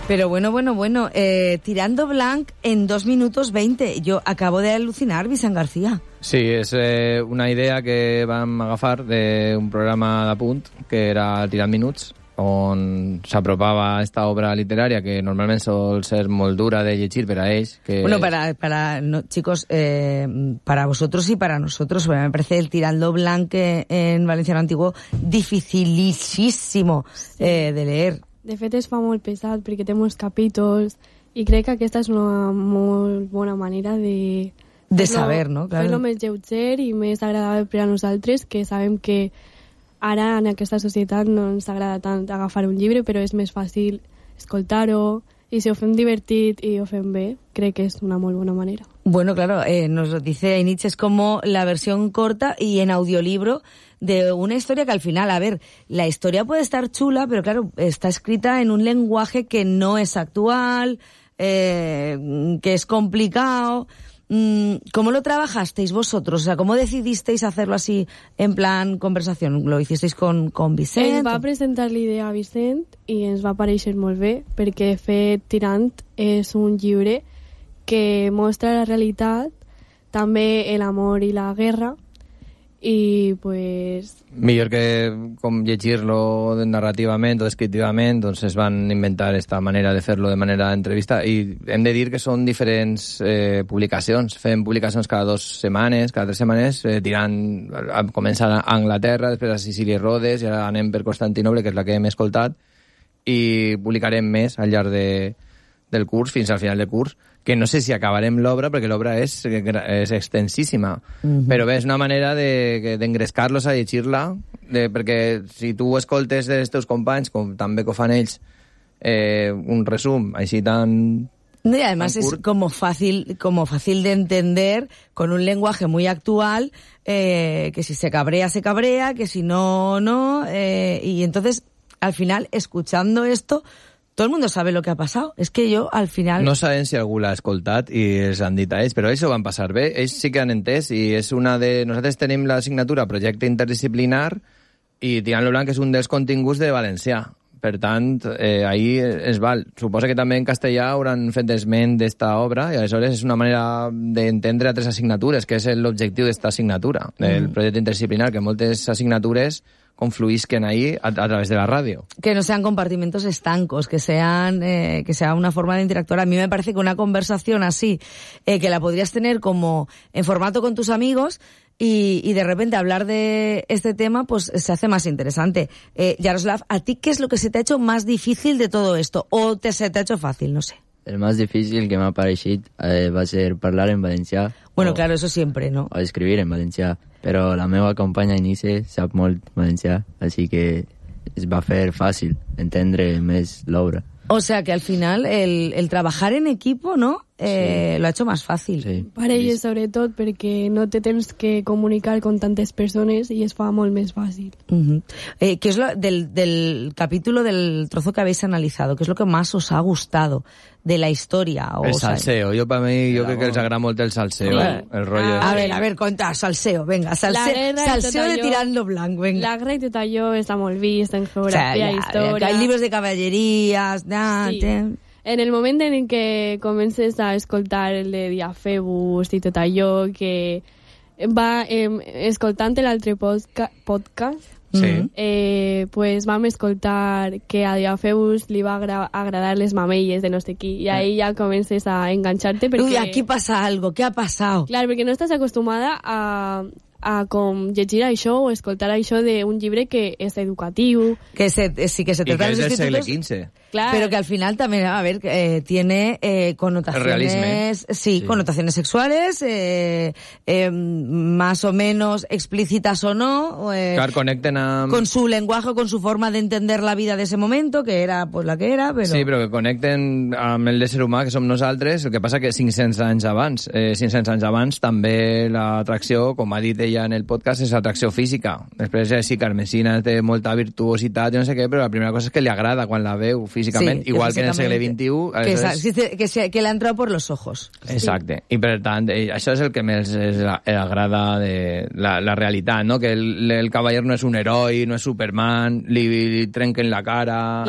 Pero bueno, tirando blanc en 2 minutos 20. Jo acabo d'alucinar, Vicent García. Sí, és una idea que vam agafar d'un programa d'apunt, que era Tirant Minuts, on s'apropava esta obra literària que normalment sol ser molt dura de llegir per a ells. Que... Bueno, chicos, para vosotros y para nosotros, me parece el Tirando Blanc en valenciano antiguo dificilísimo de leer. De fet, es fa molt pesat perquè té molts capítols i crec que aquesta és una molt bona manera de saber, no? Claro. Fer-lo més lleuger i més agradable per a nosaltres, que sabem que ara en aquesta societat no ens agrada tant agafar un llibre, però és més fàcil escoltar-ho, y si ho fem divertit i ho fem bé, crec que es una muy buena manera. Bueno, claro, nos lo dice Ainitz, es como la versión corta y en audiolibro de una historia que al final, a ver, la historia puede estar chula, pero claro, está escrita en un lenguaje que no es actual, que es complicado. ¿Cómo lo trabajasteis vosotros? O sea, ¿cómo decidisteis hacerlo así en plan conversación? ¿Lo hicisteis con Vicent? Ens va presentar l'idea a Vicent i ens va parèixer molt bé, perquè de fet Tirant és un llibre que mostra la realitat, també l'amor i la guerra, i pues... Millor que com llegir-lo narrativament o descriptivament, doncs es van inventar esta manera de fer-lo de manera d'entrevista, i hem de dir que són diferents publicacions. Fem publicacions cada 2 setmanes, cada 3 setmanes, Tirant comença a Anglaterra, després a Sicília i Rodes, i ara anem per Constantinoble, que és la que hem escoltat, i publicarem més al llarg del curs, fins al final del curs, que no sé si acabarem l'obra, perquè l'obra és extensíssima. Però bé, és una manera d'engrescar-los a llegir-la, perquè si tu escoltes dels teus companys, com també que ho fan ells, un resum així tan... Y además es como fácil de entender, con un lenguaje muy actual, que si se cabrea, que si no, no, y entonces, al final, escuchando esto, todo el mundo sabe lo que ha pasado. Es que yo, al final... No sabem si algú l'ha escoltat i els han dit a ells, però ells ho van passar bé. Ells sí que han entès, i és una de... Nosaltres tenim l'assignatura Projecte Interdisciplinar, i Tirant lo Blanc és un dels continguts de valencià. Per tant, ahí es val. Suposa que també en castellà hauran fet esment d'esta obra, i aleshores és una manera d'entendre altres assignatures, que és l'objectiu d'esta assignatura, del projecte interdisciplinar, que moltes assignatures confluisquen ahí a través de la radio. Que no sean compartimentos estancos, que sea una forma de interactuar. A mí me parece que una conversación así, que la podrías tener como en formato con tus amigos, y de repente hablar de este tema, pues se hace más interesante. Yaroslav, ¿a ti qué es lo que se te ha hecho más difícil de todo esto? ¿O se te ha hecho fácil? No sé. El más difícil que m'ha pareixit va ser parlar en valencià. Bueno, claro, eso siempre, ¿no? O escribir en valencià. Però la meva companya Inice sap molt valencià, així que es va fer fàcil entendre més l'obra. O sea que al final el trabajar en equipo, ¿no? Sí. Lo ha hecho más fácil. Sí. Per elles, sobretot, perquè no te tens que comunicar con tantes persones i es fa molt més fàcil. ¿Qué es lo del capítulo, del trozo que habéis analizado? ¿Qué es lo que más os ha gustado de la historia? El salseo. Yo crec que els agrada molt el salseo. Sí. El rollo. A ver, conta, salseo, venga. Salseo de Tirando Blanc, venga. La guerra i tot allò està molt vist en geografia, història... Hay libros de caballerías... Sí. En el moment en què comences a escoltar el de Diafebus i tot allò, que va escoltant l'altre podcast, pues vam escoltar que a Diafebus li va agradar les mamelles de no sé qui, i ahí ja comences a enganxar-te perquè... Uy, aquí pasa algo, ¿qué ha pasado? Clar, perquè no estàs acostumada a com llegir això o escoltar això d'un llibre que és educatiu. Que se trata de los del segle institutos. XV. Claro. Pero que al final también, a ver, tiene connotaciones... Sí, connotaciones sexuales, más o menos explícitas o no. Claro, conecten a... Con su lenguaje, con su forma de entender la vida de ese momento, que era pues la que era, però... Sí, però que connecten amb el ésser humà, que som nosaltres. El que passa que 500 anys abans també l'atracció, com ha dit ella en el podcast, és atracció física. Després sí, Carmesina té molta virtuositat i no sé què, però la primera cosa és que li agrada quan la veu físicament, sí, igual que en el segle XXI. Que le ha entrado por los ojos. Exacte. I per tant, això és el que més agrada de la realitat, no? Que el cavaller no és un heroi, no és Superman, li trenquen la cara...